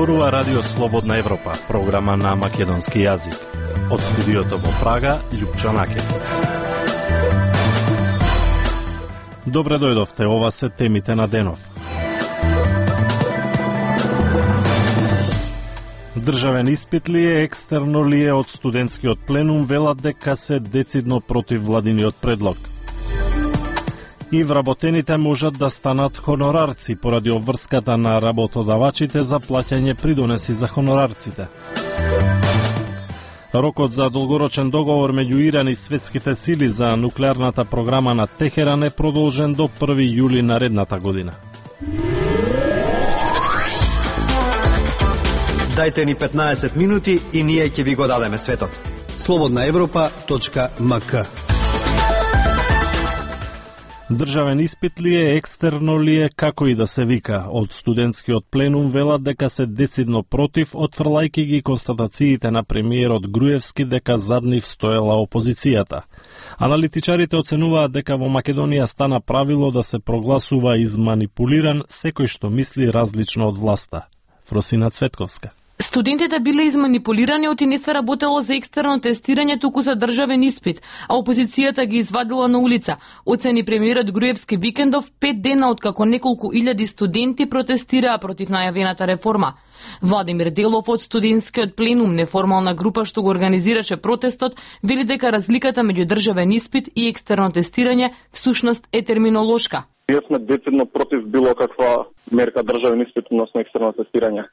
Зборува Радио Слободна Европа, програма на македонски јазик. Од студиото во Прага, Љупчо Накев. Добре дојдовте, ова се темите на денов. Државен испит ли е, екстерно ли е, од студентскиот пленум велат дека се децидно против владиниот предлог. И вработените можат да станат хонорарци поради обврската на работодавачите за плаќање придонеси за хонорарците. Рокот за долгорочен договор меѓу Иран и светските сили за нуклеарната програма на Техеран е продолжен до 1 јули наредната година. Дајте ни 15 минути и ние ќе ви го дадеме светот. slobodnaevropa.mk. Државен испит ли е, екстерно ли е, како и да се вика, од студентскиот пленум велат дека се децидно против, отфрлајки ги констатациите на премиерот Груевски дека зад нив стоела опозицијата. Аналитичарите оценуваат дека во Македонија стана правило да се прогласува изманипулиран секој што мисли различно од власта. Фросина Цветковска. Студентите биле изманипулирани оти не се работело за екстерно тестирање, туку за државен испит, а опозицијата ги извадила на улица. Оцени премиерот Груевски викендов 5 дена откако неколку илјади студенти протестираа против најавената реформа. Владимир Делов од студентскиот пленум, неформална група што го организираше протестот, вели дека разликата меѓу државен испит и екстерно тестирање всушност е терминолошка. Ние сме децидно против било каква мерка државен испит, односно екстерно тестирање.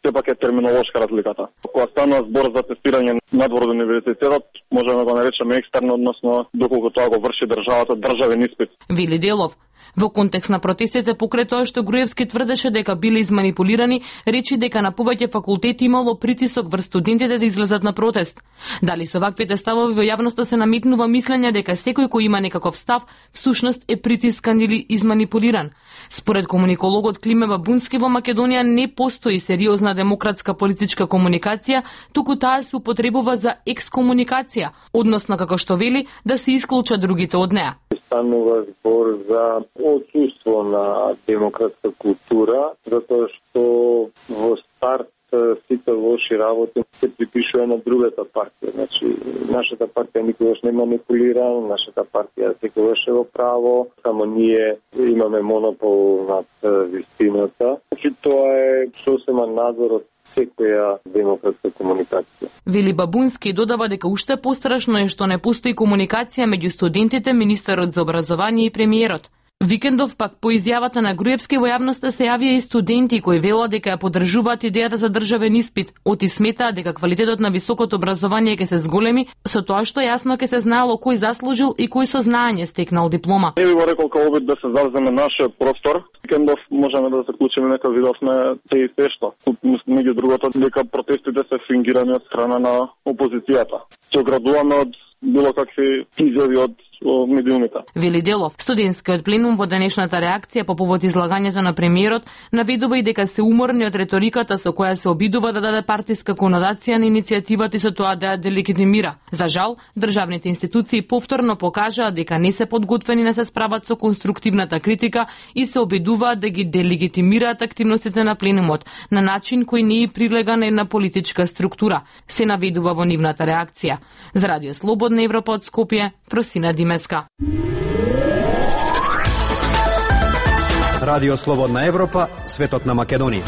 Сепак е терминолошка разликата. Кога станува збор за тестирање надвор од универзитетот, можеме да го наречеме екстерно, односно доколку тоа го врши државата, државен испит. Вели Делов. Во контекст на протестите покрај тоа што Груевски тврдеше дека биле изманипулирани, речи дека на повеќе факултети имало притисок врз студентите да излезат на протест. Дали со ваквите ставови во јавноста се наметнува мислење дека секој кој има некаков став, всушност е притискан или изманипулиран. Според комуникологот Климе Бабунски, во Македонија не постои сериозна демократска политичка комуникација, туку таа се употребува за екскомуникација, односно како што вели да се исклучат другите од неа. Станува збор за отсуство на демократска култура, затоа што во старт сите лоши работи се припишува на другата партија. Значи, нашата партија никогаш не манипулира, нашата партија секогаш е во право, само ние имаме монопол над вистината. Значи, тоа е сосема надзор од секоја демократска комуникација. Вели Бабунски додава дека уште пострашно е што не постои комуникација меѓу студентите, министерот за образование и премиерот. Викендов пак по изјавата на Груевски во јавноста се јавија и студенти кои велат дека ја поддржуваат идејата за државен испит, оти сметаат дека квалитетот на високото образование ќе се зголеми со тоа што јасно ќе се знаело кој заслужил и кој со знаење стекнал диплома. Не би го рекол како обид да се завземе нашиот простор. Викендов можеме да заклучиме дека видовме те и се што. Меѓу другото дека протестите се фингирани од страна на опозицијата. Се оградуваме од било какви изјави од медиумите. Вели Делов, студентскиот пленум во денешната реакција по повод излагањето на премиерот наведува и дека се уморни од реториката со која се обидува да даде партиска конотација на иницијативата и со тоа да ја делегитимира. За жал, државните институции повторно покажаа дека не се подготвени да се справат со конструктивната критика и се обидуваат да ги делегитимираат активностите на пленумот на начин кој не е прилега на една политичка структура, се наведува во нивната реакција. За Радио Слободна Европа од Скопје, Фросина Димеска. Радио Слободна Европа, светот на Македонија.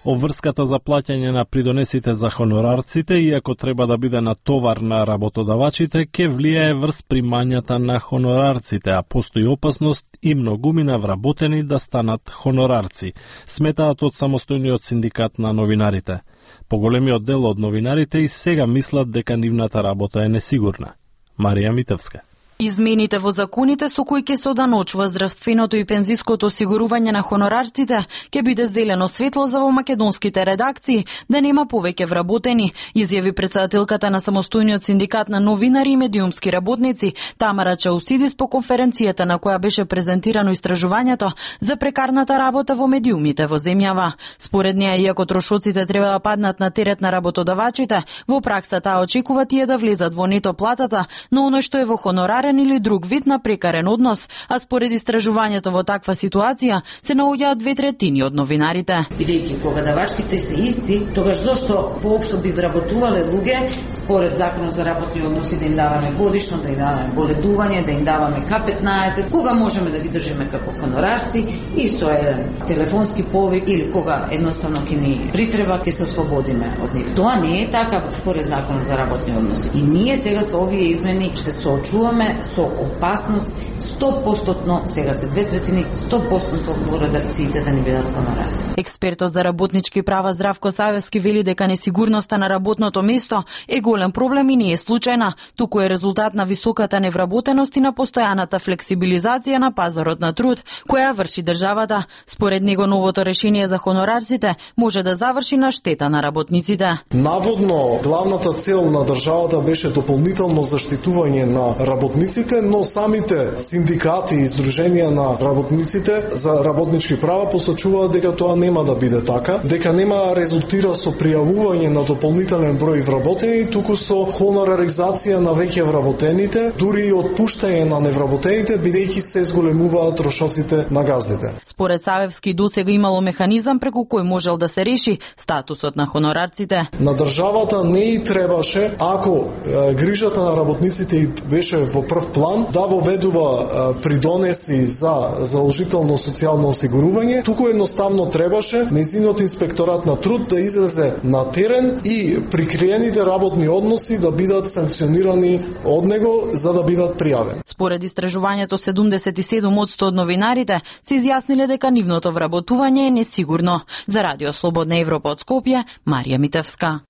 Обврската за плаќање на придонесите за хонорарците, иако треба да биде на товар на работодавачите, ке влијае врз примањата на хонорарците, а постои опасност и многумина вработени да станат хонорарци, сметаат од самостојниот синдикат на новинарите. Поголемиот дел од новинарите и сега мислат дека нивната работа е несигурна. Марија Митевска. Измените во законите со кои ќе се оданочува здравственото и пензиското осигурување на хонорарците ќе биде зелено светло за во македонските редакции да нема повеќе вработени, изјави претседателката на самостојниот синдикат на новинари и медиумски работници Тамара Чаусидис по конференцијата на која беше презентирано истражувањето за прекарната работа во медиумите во земјава. Според неа, иако трошоците треба да паднат на терет на работодавачите, во пракса таа очекува тие да влезат во нето платата, но оној што е во хонораре товарен или друг вид на прекарен однос, а според истражувањето во таква ситуација се наоѓаат 2/3 од новинарите. Бидејќи погодавачките се исти, тогаш зошто воопшто би вработувале луѓе според Законот за работни односи да им даваме годишно, да им даваме боледување, да им даваме К15, кога можеме да ги држиме како хонорарци и со еден телефонски повик или кога едноставно ќе ни притреба, ќе се ослободиме од нив. Тоа не е така според Законот за работни односи. И ние сега со овие измени се соочуваме со опасност 100%, сега се 2/3, 100% редакциите да ни бидат хонорарци. Експертот за работнички права Здравко Савевски вели дека несигурноста на работното место е голем проблем и не е случајна, туку е резултат на високата невработеност и на постојаната флексибилизација на пазарот на труд, која врши државата. Според него новото решение за хонорарците може да заврши на штета на работниците. Наводно, главната цел на државата беше дополнително заштитување на работниците, но самите синдикати и издруженија на работниците за работнички права посочуваат дека тоа нема да биде така, дека нема резултира со пријавување на дополнителен број вработени, туку со хонораризација на веќе вработените, дури и отпуштање на невработените, бидејќи се зголемуваат трошоците на газдите. Според Савевски, досега имало механизам преку кој можел да се реши статусот на хонорарците. На државата не и требаше, ако грижата на работниците и беше во прв план, да воведува придонеси за задолжително социјално осигурување, туку едноставно требаше нејзиниот инспекторат на труд да излезе на терен и прикриените работни односи да бидат санкционирани од него за да бидат пријавени. Според истражувањето, 77% од новинарите се изјасниле дека нивното вработување е несигурно. За Радио Слободна Европа од Скопје, Марија Митевска.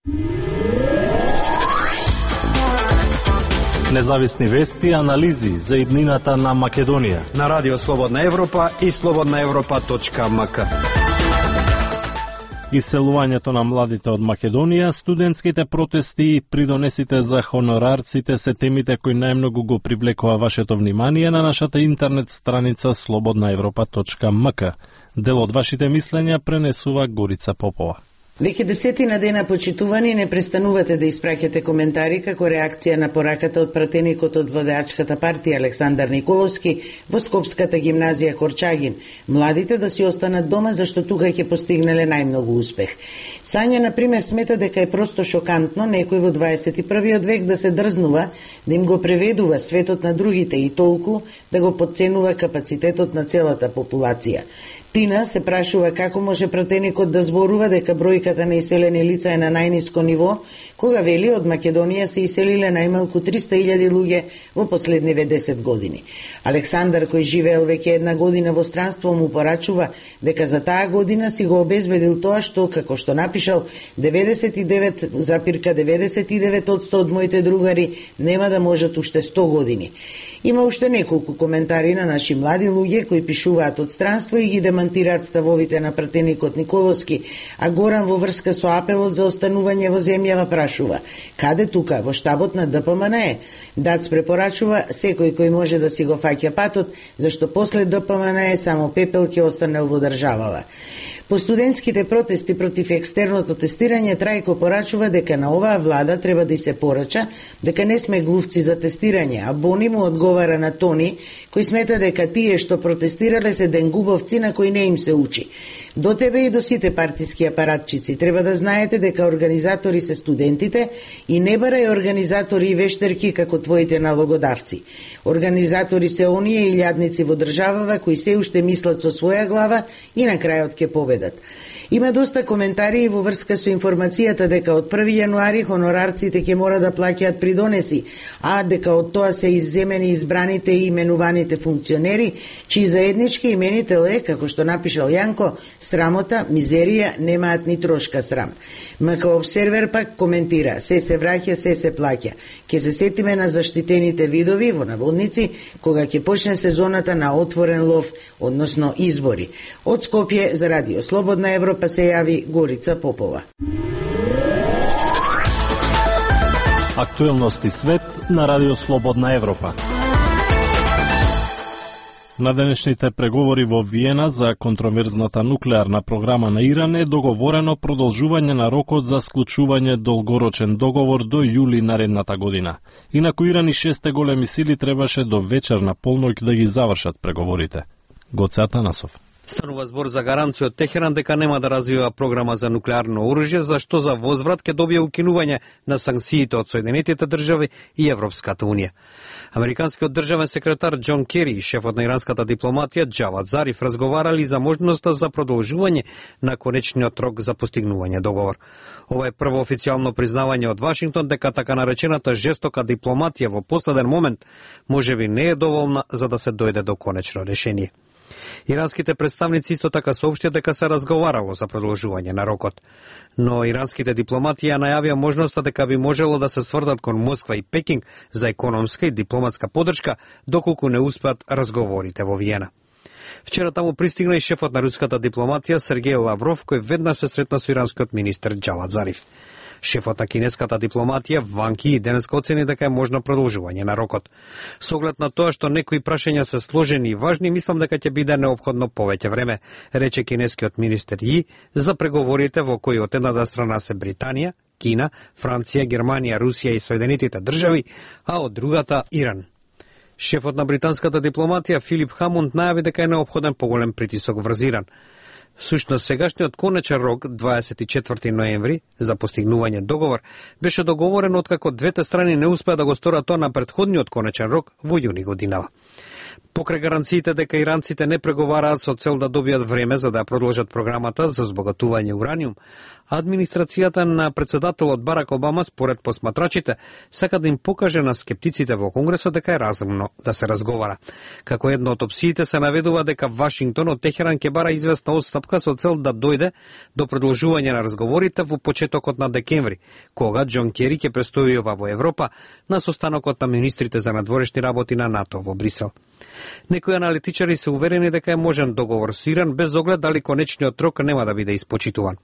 Независни вести и анализи за иднината на Македонија на Радио Слободна Европа и slobodnaevropa.mk. Иселувањето на младите од Македонија, студентските протести и придонесите за хонорарците се темите кои најмногу го привлекува вашето внимание на нашата интернет страница slobodnaevropa.mk. Дел од вашите мислења пренесува Горица Попова. Веќе десетина дена почитувани не престанувате да испраќате коментари како реакција на пораката од пратеникот од владеачката партија Александар Николовски во Скопската гимназија Корчагин. Младите да си останат дома зашто тука ќе постигнале најмногу успех. Сања, например, смета дека е просто шокантно некој во 21. век да се дрзнува да им го преведува светот на другите и толку да го подценува капацитетот на целата популација. Тина се прашува како може пратеникот да зборува дека бројката на иселени лица е на најниско ниво, кога вели од Македонија се иселиле најмалку 300.000 луѓе во последниве 10 години. Александар, кој живеел веќе една година во странство, му порачува дека за таа година си го обезбедил тоа што, како што напишал, 99,99% од моите другари нема да можат уште 100 години. Има уште неколку коментари на наши млади луѓе кои пишуваат од странство и ги демантираат ставовите на пратеникот Николовски, а Горан во врска со апелот за останување во земјава прашува: каде тука, во штабот на ДПМН? Дац препорачува секој кој може да си го фаќа патот, зашто после ДПМН само пепел ќе останел во државава. По студентските протести против екстерното тестирање, Трајко порачува дека на оваа влада треба да се порача дека не сме глувци за тестирање, а Бони му одговара на Тони, кој смета дека тие што протестирале се денгубовци на кои не им се учи. До тебе и до сите партиски апаратчици треба да знаете дека организатори се студентите и не барај организатори и вештерки како твоите налогодавци. Организатори се оние илјадници во државава кои се уште мислат со своја глава и на крајот ќе победат. Има доста коментари во врска со информацијата дека од 1 јануари хонорарците ќе мора да плаќаат придонеси, а дека од тоа се изземени избраните и именуваните функционери, чии заеднички именител е, како што напишал Јанко, срамота, мизерија, немаат ни трошка срам. МК Обсервер пак коментира: се враќа, се плаќа. Ке се сетиме на заштитените видови, во наводници, кога ќе почне сезоната на отворен лов, односно избори. Од Скопје за Радио Слободна Европа се јави Горица Попова. Актуелности свет на Радио Слободна Европа. На денешните преговори во Виена за контроверзната нуклеарна програма на Иран е договорено продолжување на рокот за склучување долгорочен договор до јули наредната година. Инаку Иран и 6 големи сили требаше до вечер на полноќ да ги завршат преговорите. Гоце Атанасов. Станува збор за гаранција од Техеран дека нема да развива програма за нуклеарно оружје, за што за возврат ќе добие укинување на санкциите од Соединетите држави и Европската унија. Американскиот државен секретар Џон Кери и шефот на иранската дипломатија Џавад Зариф разговарали за можноста за продолжување на конечниот рок за постигнување договор. Ова е прво официјално признавање од Вашингтон дека така наречената жестока дипломатија во последен момент можеби не е доволна за да се дојде до конечно решение. Иранските представници исто така соопштија дека се разговарало за продолжување на рокот, но иранските дипломати ја најавија можноста дека би можело да се свртат кон Москва и Пекинг за економска и дипломатска поддршка доколку не успеат разговорите во Виена. Вчера таму пристигна и шефот на руската дипломатија Сергеј Лавров, кој веднаш се сретна со иранскиот министер Џавад Зариф. Шефот на кинеската дипломатија Ван Ки денеска оцени дека е можно продолжување на рокот. Со оглед на тоа што некои прашања се сложени и важни, мислам дека ќе биде неопходно повеќе време, рече кинескиот министер Ји за преговорите во кои од едната страна се Британија, Кина, Франција, Германија, Русија и Соединетите држави, а од другата Иран. Шефот на британската дипломатија Филип Хамонд најави дека е неопходен поголем притисок врз Иран. Сушно сегашниот конечен рок, 24 ноември, за постигнување договор, беше договорен откако двете страни не успеа да го сторат тоа на претходниот конечен рок во јуни годинава. Покрај гаранциите дека иранците не преговараат со цел да добијат време за да продолжат програмата за збогатување ураниум, администрацијата на председателот Барак Обама, според посматрачите, сака да им покаже на скептиците во Конгресот дека е разумно да се разговара. Како една од опциите се наведува дека Вашингтон од Техеран ќе бара известна отстапка со цел да дојде до продолжување на разговорите во почетокот на декември, кога Џон Кери ќе престојува во Европа на состанокот на министрите за надворешни работи на НАТО во Брисел. Некои аналитичари се уверени дека е можен договор со Иран без оглед дали конечниот рок нема да биде испочитуван.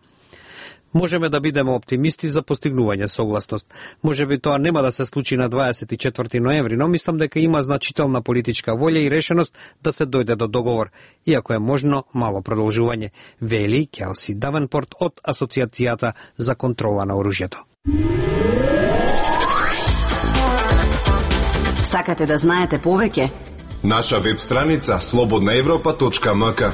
Можеме да бидеме оптимисти за постигнување согласност. Можеби тоа нема да се случи на 24 ноември, но мислам дека има значителна политичка волја и решеност да се дојде до договор, иако е можно мало продолжување, вели Келси Давенпорт од Асоциацијата за контрола на оружјето. Сакате да знаете повеќе? Наша веб страница slobodnaevropa.mk.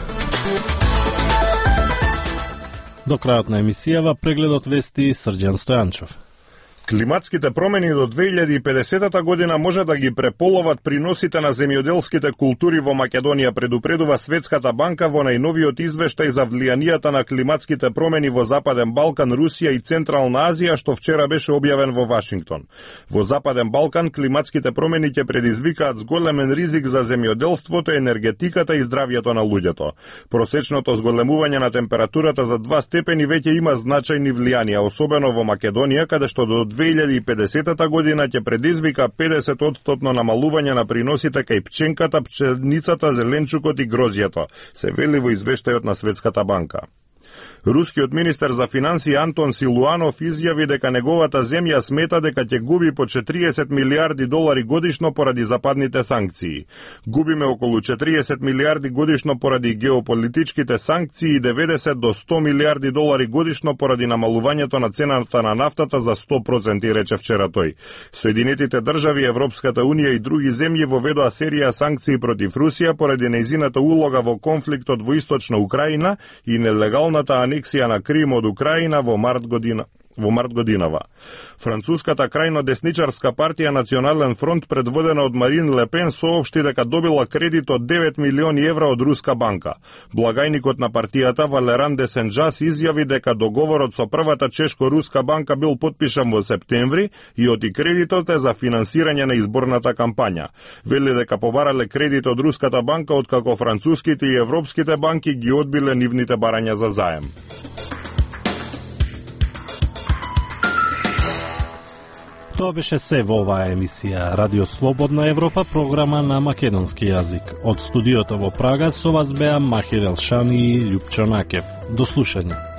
До крајот на емисијава прегледот вести Срđan Стојанчов. Климатските промени до 2050 година може да ги преполоват приносите на земјоделските култури во Македонија, предупредува Светската банка во најновиот извештај за влијанијата на климатските промени во Западен Балкан, Русија и Централна Азија, што вчера беше објавен во Вашингтон. Во Западен Балкан климатските промени ќе предизвикаат зголемен ризик за земјоделството, енергетиката и здравјето на луѓето. Просечното зголемување на температурата за 2 степени веќе има значајни влијанија, особено во Македонија, каде што до 2050 година ќе предизвика 50% намалување на приносите кај пченката, пченицата, зеленчукот и грозјето, се вели во извештајот на Светската банка. Рускиот министер за финансии Антон Силуанов изјави дека неговата земја смета дека ќе губи по 40 милиарди долари годишно поради западните санкции. Губиме околу 40 милиарди годишно поради геополитичките санкции и 90 до 100 милиарди долари годишно поради намалувањето на цената на нафтата за 100%, рече вчера тој. Соединетите држави, Европската унија и други земји воведоа серија санкции против Русија поради нејзината улога во конфликтот во источна Украина и нелегалната анексија на Крим од Украина во март годинава. Француската крајно десничарска партија Национален фронт, предводена од Марин Ле Пен, соопшти дека добила кредит од 9 милиони евра од Руска банка. Благајникот на партијата Валеран де Сен-Жас изјави дека договорот со првата чешко-руска банка бил потпишан во септември и оти кредитот е за финансирање на изборната кампања. Вели дека побарале кредит од Руската банка откако француските и европските банки ги одбиле нивните барања за заем. Тоа беше се во оваа емисија Радио Слободна Европа, програма на македонски јазик. Од студиото во Прага со вас беа Махир Елшани и Љупчо Накев. До слушање.